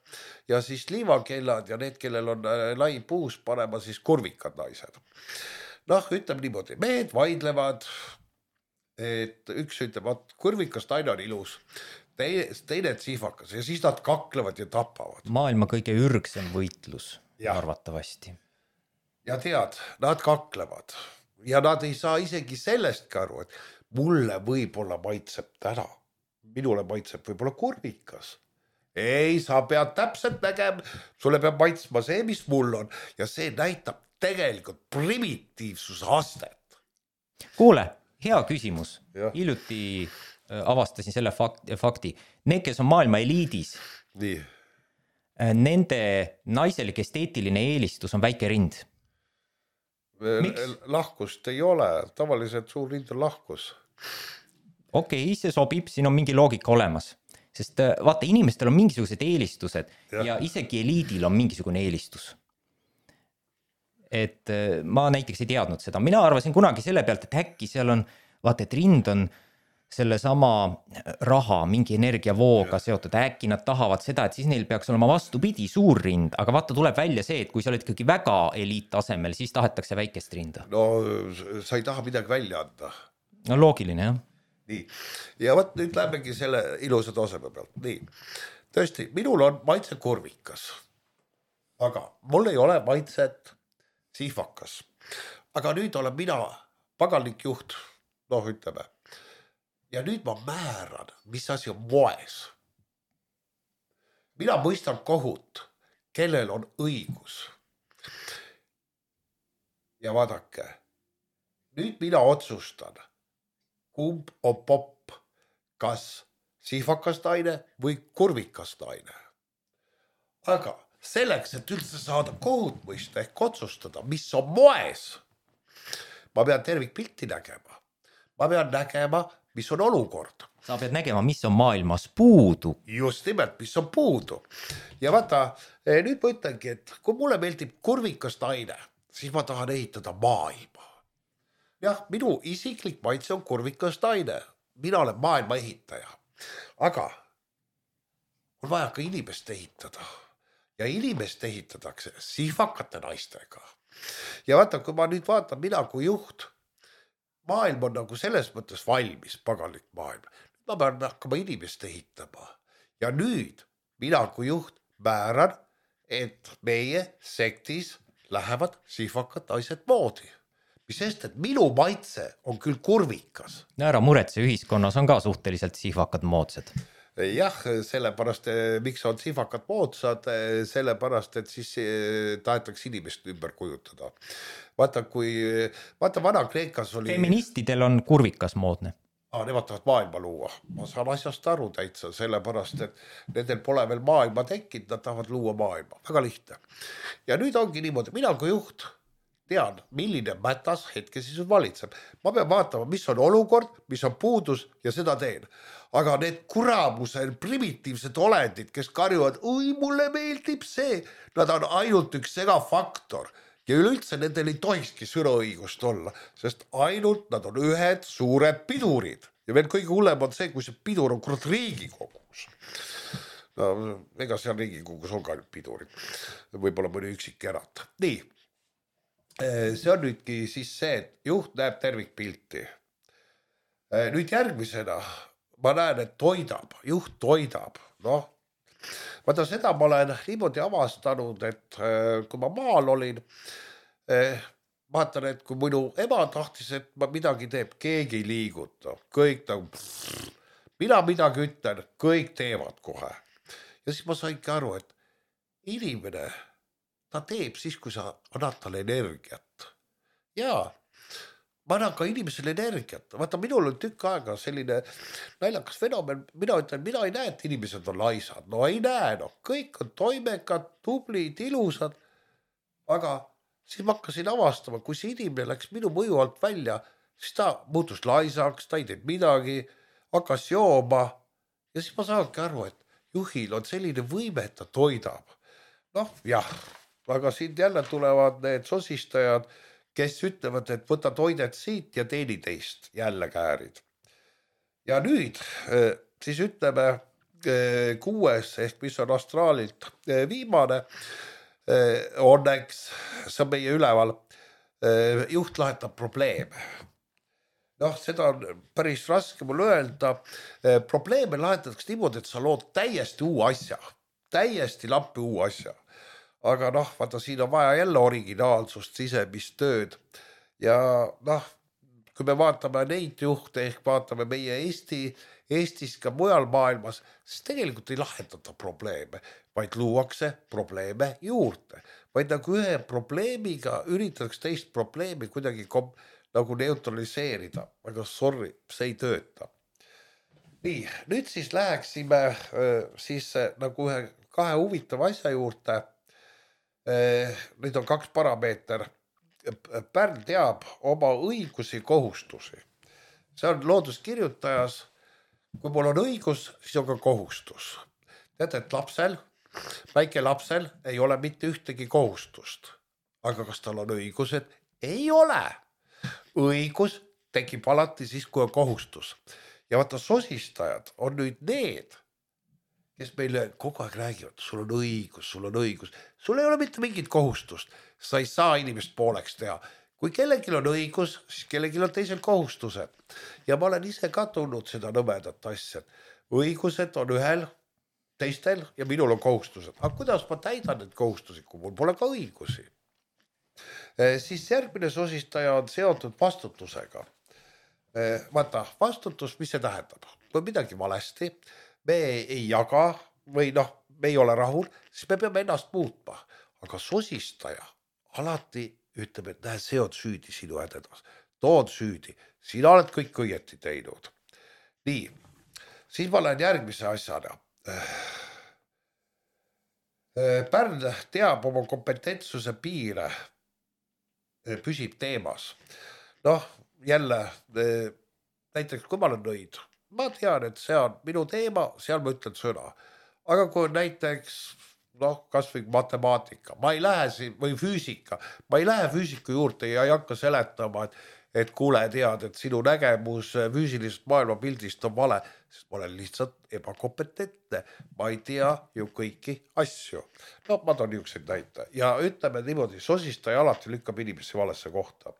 ja siis liivakellad ja need, kellel on lai puus, panema siis kurvikad naised. noh, ütleme niimoodi, mehed vaidlevad, et üks ütleb, et kurvikas naine on ilus, teine sihvakas ja siis nad kaklevad ja tapavad. Maailma kõige ürgsem võitlus Ja. arvatavasti. Ja tead, nad kaklevad ja nad ei saa isegi sellestki aru, et mulle võib-olla maitseb täna, minule maitseb võib-olla kurvikas. Ei, sa pead täpselt nägema, sulle peab maitsma see, mis mul on ja see näitab tegelikult primitiivsuse astet. Kuule, hea küsimus. Jah. Hiljuti avastasin selle fakti. Need, kes on maailma eliidis, Nii. nende naiselik esteetiline eelistus on väike rind. Miks? Lahkust ei ole, tavaliselt suur rind on lahkus. Okei, see sobib, siin on mingi loogika olemas. Sest vaata, inimestel on mingisugused eelistused ja isegi eliidil on mingisugune eelistus. Et ma näiteks ei teadnud seda. Mina arvasin kunagi selle pealt, et äkki seal on, vaata, et rind on selle sama raha, mingi energiavooga seotud. Äkki nad tahavad seda, et siis neil peaks olema vastupidi suur rind. Aga vaata, tuleb välja see, et kui sa oled ikkagi väga eliittasemel, siis tahetakse väikest rinda. No sa ei taha midagi välja anda. No loogiline, jah. Nii. Ja võt, nüüd lähemegi selle ilusa taseme pealt. Nii. Tõesti, minul on maitse kurvikas. Aga mul ei ole maitset sihvakas. Aga nüüd olen mina paganlik juht, noh ütleme. Ja nüüd ma määran, mis asi on moes. Mina mõistan kohut, kellel on õigus. Ja vaadake, nüüd mina otsustan, kumb on popp, kas sihvakas naine või kurvikas naine. Aga selleks, et üldse saada kohut mõista ehk otsustada, mis on moes, ma pean tervikpilti nägema. Ma pean nägema, mis on olukord. Sa pead nägema, mis on maailmas puudu. Just nimelt, mis on puudu. Ja vaata, nüüd ma ütlengi, et kui mulle meeldib kurvikas naine, siis ma tahan ehitada maailma. Jah, minu isiklik maitse on kurvikas naine. Mina olen maailma ehitaja. Aga on vaja ka inimest ehitada. Ja inimest ehitatakse sihvakate naistega. Ja vaata, kui ma nüüd vaatan, mina kui juht, maailm on nagu selles mõttes valmis, paganlik maailm. Ma pean hakkama inimest ehitama. Ja nüüd mina kui juht määran, et meie sektis lähevad sihvakad naised moodi. Mis sest, et minu maitse on küll kurvikas. Ära muretse, ühiskonnas on ka suhteliselt sihvakad moodsad. Jah, sellepärast, miks on sihvakad moodsad, sellepärast, et siis tahetakse inimest ümber kujutada. Vaata, Vana-Kreekas oli... Feministidel on kurvikas moodne. Nemad tahavad maailma luua. Ma saan asjast aru täitsa, sellepärast, et nendel pole veel maailma tekkinud, nad tahavad luua maailma. Väga lihtne. Ja nüüd ongi niimoodi, mina kui juht tean, milline mätas hetke siis valitseb. Ma pean vaatama, mis on olukord, mis on puudus ja seda teen. Aga need kuramuse primitiivsed olendid, kes karjuvad, oi, mulle meeldib see, nad on ainult üks segafaktor. Ja üleüldse nendel ei tohikski sõnaõigust olla, sest ainult nad on ühed suured pidurid. Ja veel kõige hullem on see, kui see pidur on kurat Riigikogus. No, ega seal Riigikogus on ka pidurid. Võib-olla mõni üksik erat. Nii. See on nüüdki siis see, et juht näeb tervikpilti. Nüüd järgmisena ma näen, et juht toidab. Noh, vaata seda ma olen niimoodi avastanud, et kui ma maal olin, vaatan, et kui minu ema tahtis, et ma midagi teeb, keegi ei liiguta. Kõik nagu, mina midagi ütlen, kõik teevad kohe. Ja siis ma saingi aru, et inimene ta teeb siis, kui sa annad talle energiat. Jaa, ma annan ka inimesele energiat. Vaata, minul on tükk aega selline naljakas fenomen. Mina ütlen, mina ei näe, et inimesed on laisad. No ei näe, no. Kõik on toimekad, tublid, ilusad. Aga siis ma hakkasin avastama, kui see inimene läks minu mõju alt välja, siis ta muutus laisaks, ta ei teeb midagi, hakkas jooma. Ja siis ma saangi aru, et juhil on selline võime, et ta toidab. Noh, jah. Aga siin jälle tulevad need sosistajad, kes ütlevad, et võta toidet siit ja teeni teist jälle käärid. Ja nüüd siis ütleme 6. ehk mis on astraalilt viimane, õnneks see on meie üleval, juht lahendab probleeme. Noh, seda on päris raske mul öelda. Probleeme lahendatakse niimoodi, et sa lood täiesti uue asja, täiesti lampi uue asja. Aga noh, vaata, siin on vaja jälle originaalsust, sisemist tööd. Ja noh, kui me vaatame neid juhte ehk vaatame meie Eestis ka mujal maailmas, siis tegelikult ei lahendata probleeme, vaid luuakse probleeme juurde. Vaid nagu ühe probleemiga üritatakse teist probleemi kuidagi nagu neutraliseerida, aga sorry, see ei tööta. Nii, nüüd siis läheksime siis nagu kahe huvitava asja juurde. Nüüd on 2 parameeter. Pärn teab oma õigusi kohustusi. See on looduskirjutajas. Kui mul on õigus, siis on ka kohustus. Teate, et väike lapsel ei ole mitte ühtegi kohustust. Aga kas tal on õigused? Ei ole. Õigus tekib alati siis, kui on kohustus. Ja vaata, sosistajad on nüüd need, kes meile kogu aeg räägivad, sul on õigus. Sul ei ole mitte mingit kohustust. Sa ei saa inimest pooleks teha. Kui kellelgi on õigus, siis kellelgi on teisel kohustused. Ja ma olen ise ka tulnud seda nõmedat asja. Õigused on ühel, teistel ja minul on kohustused. Aga kuidas ma täidan need kohustusi, kui mul pole ka õigusi? Siis järgmine sosistaja on seotud vastutusega. Vaata, vastutus, mis see tähendab? Kui midagi valesti, me ei jaga või noh, me ei ole rahul, siis me peame ennast muutma. Aga sosistaja alati ütleb, et näe, see on süüdi sinu hädedas. Too on süüdi. Sina oled kõik õieti teinud. Nii, siis ma lähen järgmise asjana. Pärn teab oma kompetentsuse piire, püsib teemas. Noh, jälle, näiteks kui ma olen nõid, ma tean, et see on minu teema, seal ma ütlen sõna. Aga kui näiteks, noh, kas või matemaatika, ma ei lähe siin, või füüsika, ma ei lähe füüsiku juurde ja ei hakka seletama, et kuule, tead, et sinu nägemus füüsilisest maailmapildist on vale, sest ma olen lihtsalt ebakompetentne. Ma ei tea ju kõiki asju. No, ma toon niisugused näite. Ja ütleme niimoodi, sosistaja alati lükkab inimesi valesse kohta.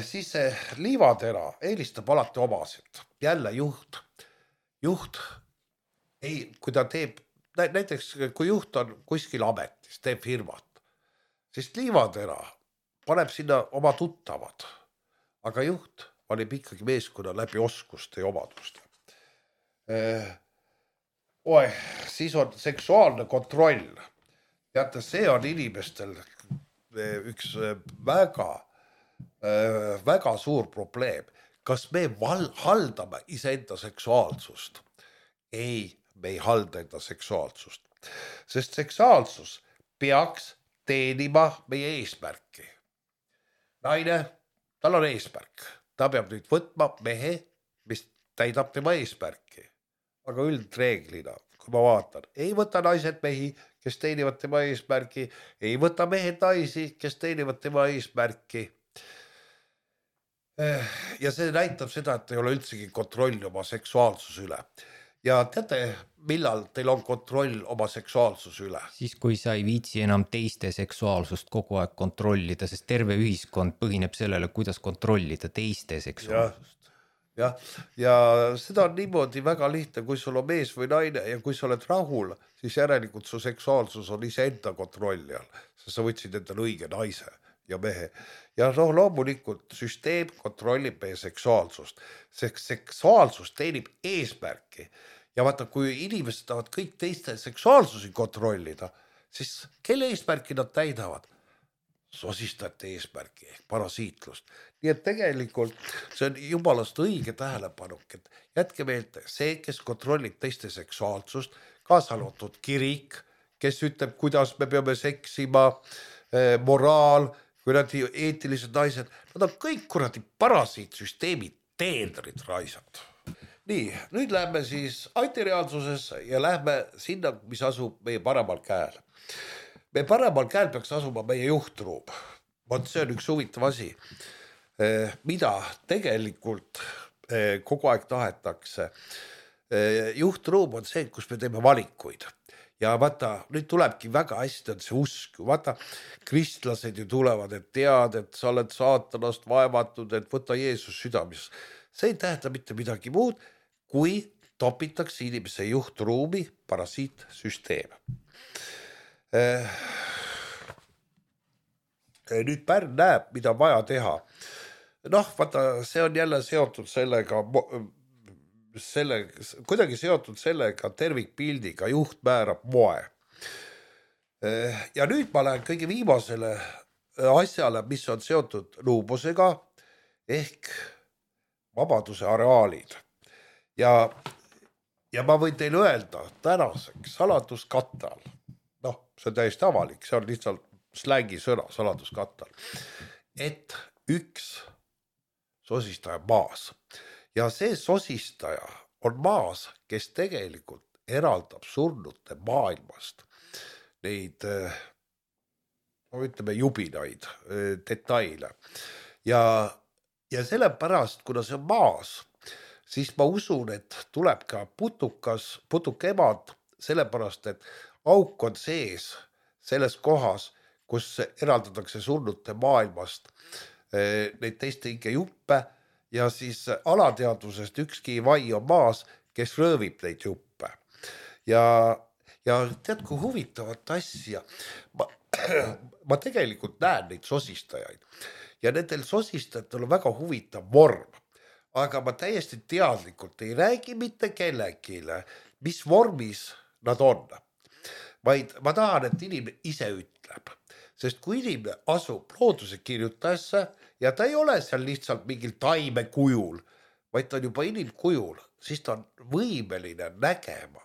Siis see liivatera eelistab alati omasid. Jälle juht, kui ta teeb, näiteks kui juht on kuskil ametis, teeb firmat, siis liivatera paneb sinna oma tuttavad, aga juht valib ikkagi meeskonna läbi oskuste ja omaduste. Siis on seksuaalne kontroll. Teate, see on inimestel üks väga suur probleem. Kas me haldame iseenda seksuaalsust? Ei, me ei halda enda seksuaalsust. Sest seksuaalsus peaks teenima meie eesmärki. Naine, tal on eesmärk. Ta peab nüüd võtma mehe, mis täidab tema eesmärki. Aga üldreeglina, kui ma vaatan, ei võta naised mehi, kes teenivad tema eesmärki, ei võta mehed naisi, kes teenivad tema eesmärki. Ja see näitab seda, et ei ole üldsegi kontrolli oma seksuaalsuse üle. Ja teate, millal teil on kontroll oma seksuaalsuse üle? Siis, kui sa ei viitsi enam teiste seksuaalsust kogu aeg kontrollida, sest terve ühiskond põhineb sellele, kuidas kontrollida teiste seksuaalsust. Ja seda on niimoodi väga lihtne, kui sul on mees või naine ja kui sa oled rahul, siis järelikult su seksuaalsus on iseenda kontrolli all. Sa võtsid endale õige naise ja mehe. Ja loomulikult süsteem kontrollib meie seksuaalsust. Seksuaalsus teenib eesmärki. Ja vaata, kui inimesed tahavad kõik teiste seksuaalsusi kontrollida, siis kelle eesmärki nad täidavad? Sosistajate eesmärki ehk parasiitlust. Nii et tegelikult see on jumalast õige tähelepanuk, et jätke meelde see, kes kontrollib teiste seksuaalsust, kaasa arvatud kirik, kes ütleb, kuidas me peame seksima, moraal, kuradi eetilised naised, nad on kõik kuradi parasiitsüsteemi teenrid raisad. Nii, nüüd lähme siis antireaalsusesse ja lähme sinna, mis asub meie paremal käel. Meie paremal käel peaks asuma meie juhtruum. See on üks huvitav asi, mida tegelikult kogu aeg tahetakse. Juhtruum on see, kus me teeme valikuid. ja vaata, nüüd tulebki väga hästi on see usk, vaata, kristlased ju tulevad, et tead, et sa oled saatanast vaevatud, et võta Jeesus südames. See ei tähenda mitte midagi muud, kui topitakse inimese juhtruumi parasiitsüsteem. Nüüd Pärn näeb, mida vaja teha. Noh, vaata, see on jälle seotud sellega, kuidagi seotud sellega tervikpildiga, juht määrab moe. Ja nüüd ma lähen kõige viimasele asjale, mis on seotud luubusega ehk vabaduse areaalid. Ja ma võin teile öelda tänaseks saladuskattal, noh, see on täiesti avalik, see on lihtsalt slängi sõna saladuskattal, et üks sosistaja maas. Ja see sosistaja on maas, kes tegelikult eraldab surnute maailmast neid, ütleme, jubinaid, detaile. Ja sellepärast, kuna see on maas, siis ma usun, et tuleb ka putukemad, sellepärast, et auk on sees selles kohas, kus eraldatakse surnute maailmast neid teiste inge juppe ja siis alateadvusest ükski vai on maas, kes röövib neid juppe. Ja tead, kui huvitavat asja, ma tegelikult näen neid sosistajaid ja nendel sosistajatel on väga huvitav vorm. Aga ma täiesti teadlikult ei räägi mitte kellegile, mis vormis nad on. Vaid ma tahan, et inimene ise ütleb. Sest kui inimene asub looduse kirjutajasse ja ta ei ole seal lihtsalt mingil taime kujul, vaid ta on juba inimkujul, siis ta on võimeline nägema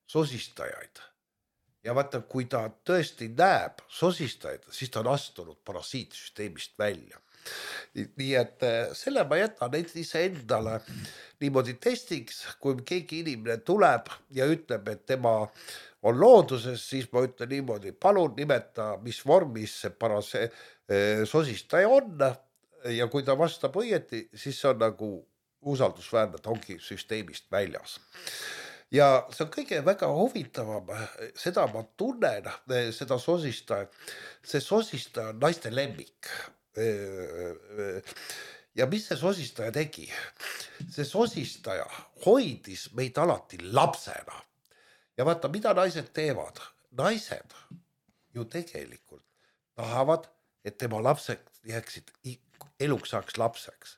sosistajaid. Ja vaata, kui ta tõesti näeb sosistajaid, siis ta on astunud parasiitsüsteemist välja. Nii et selle ma jätan ise endale niimoodi testiks, kui keegi inimene tuleb ja ütleb, et tema on looduses, siis ma ütlen niimoodi, palun nimeta, mis vormis see sosistaja on ja kui ta vastab õieti, siis see on nagu usaldusväärne, ta ongi süsteemist väljas. Ja see on kõige väga huvitavam, seda ma tunnen, seda sosistaja, see sosistaja on naiste lemmik. Ja mis see sosistaja tegi? See sosistaja hoidis meid alati lapsena. Ja vaata, mida naised teevad? Naised ju tegelikult tahavad, et tema lapsed jääksid eluks saaks lapseks.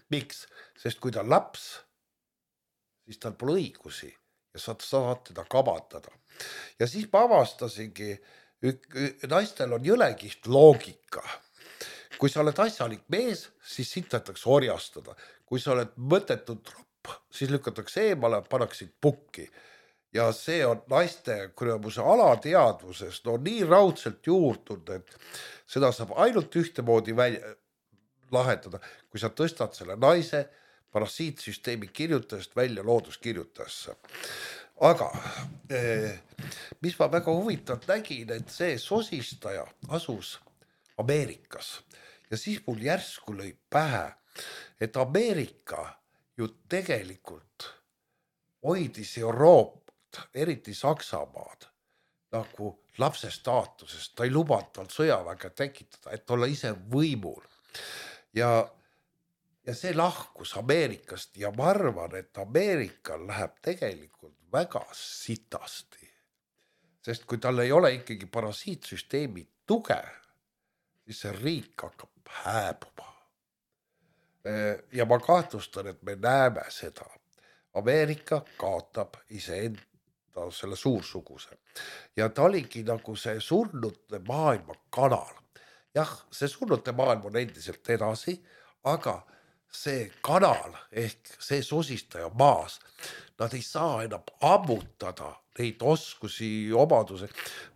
Miks? Sest kui ta laps, siis tal pole õigusi ja saad teda kabandada. Ja siis ma avastasingi, naistel on jõlekiht loogika. Kui sa oled asjalik mees, siis sintatakse orjastada. Kui sa oled mõttetud tropp, siis lükatakse eemale, panaksid pukki. Ja see on naiste kurjamuse alateadvuses nii raudselt juurtud, et seda saab ainult ühtemoodi lahendada, kui sa tõstad selle naise parasiitsüsteemi kirjutajast välja looduskirjutajasse. Aga mis ma väga huvitavalt nägin, et see sosistaja asus Ameerikas. Ja siis mul järsku lõi pähe, et Ameerika ju tegelikult hoidis Euroopat, eriti Saksamaad, nagu lapse staatusest. Ta ei lubanud tal sõjaväge tekitada, et olla ise võimul. Ja see lahkus Ameerikast ja ma arvan, et Ameerikal läheb tegelikult väga sitasti. Sest kui tal ei ole ikkagi parasiitsüsteemi tuge, siis see riik hakkab hääbuma. Ja ma kahtlustan, et me näeme seda. Ameerika kaotab iseenda selle suursuguse. Ja ta oligi nagu see surnute maailma kanal. Jah, see surnute maailm on endiselt edasi, aga see kanal ehk see sosistaja maas, nad ei saa enam ammutada neid oskusi, omaduse.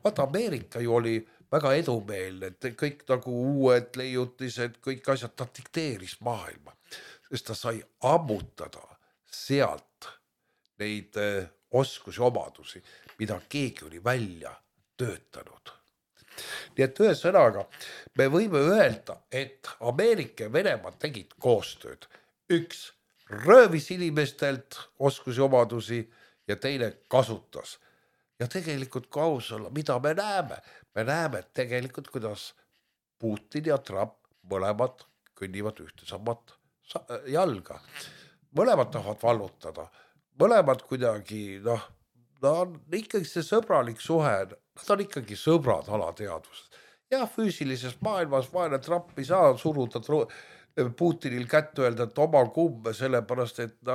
Vaata, Ameerika ju oli väga edumeelne, et kõik nagu uued leiutised, kõik asjad, ta dikteeris maailma, sest ta sai ammutada sealt neid oskusi, omadusi, mida keegi oli välja töötanud. Nii et ühe sõnaga, me võime öelda, et Ameerika ja Venemaa tegid koostööd. Üks röövis inimestelt oskusi, omadusi ja teine kasutas. ja tegelikult kui aus olla, mida me näeme? Me näeme tegelikult, kuidas Putin ja Trump mõlemad kõnnivad ühte samat jalga. Mõlemad tahavad vallutada, mõlemad kuidagi, on ikkagi see sõbralik suhe, nad on ikkagi sõbrad alateadvuses. Ja füüsilises maailmas vaene Trump ei saa suruda Putinil kätt öelda, et oma kumme, sellepärast, et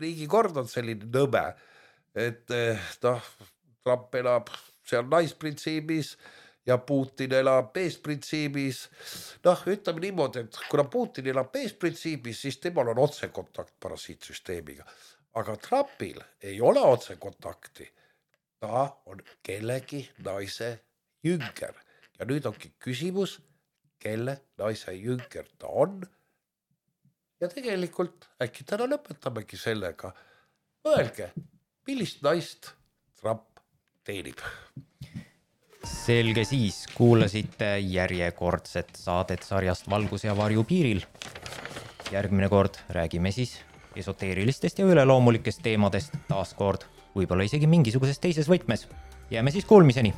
riigikord on selline nõme, et Trump elab seal naisprintsiibis ja Putin elab meesprintsiibis. Ütleme niimoodi, et kuna Putin elab meesprintsiibis, siis temal on otsekontakt parasiitsüsteemiga. Aga Trumpil ei ole otsekontakti. Ta on kellegi naise jünger. Ja nüüd ongi küsimus, kelle naise jünger ta on. Ja tegelikult äkki täna lõpetamegi sellega. Mõelge, millist naist Trump teenib. Selge siis, kuulasite järjekordset saadet sarjast Valgus ja varju piiril. Järgmine kord räägime siis esoteerilistest ja üleloomulikest teemadest taas kord, võib-olla isegi mingisugusest teises võtmes. Jääme siis kuulmiseni!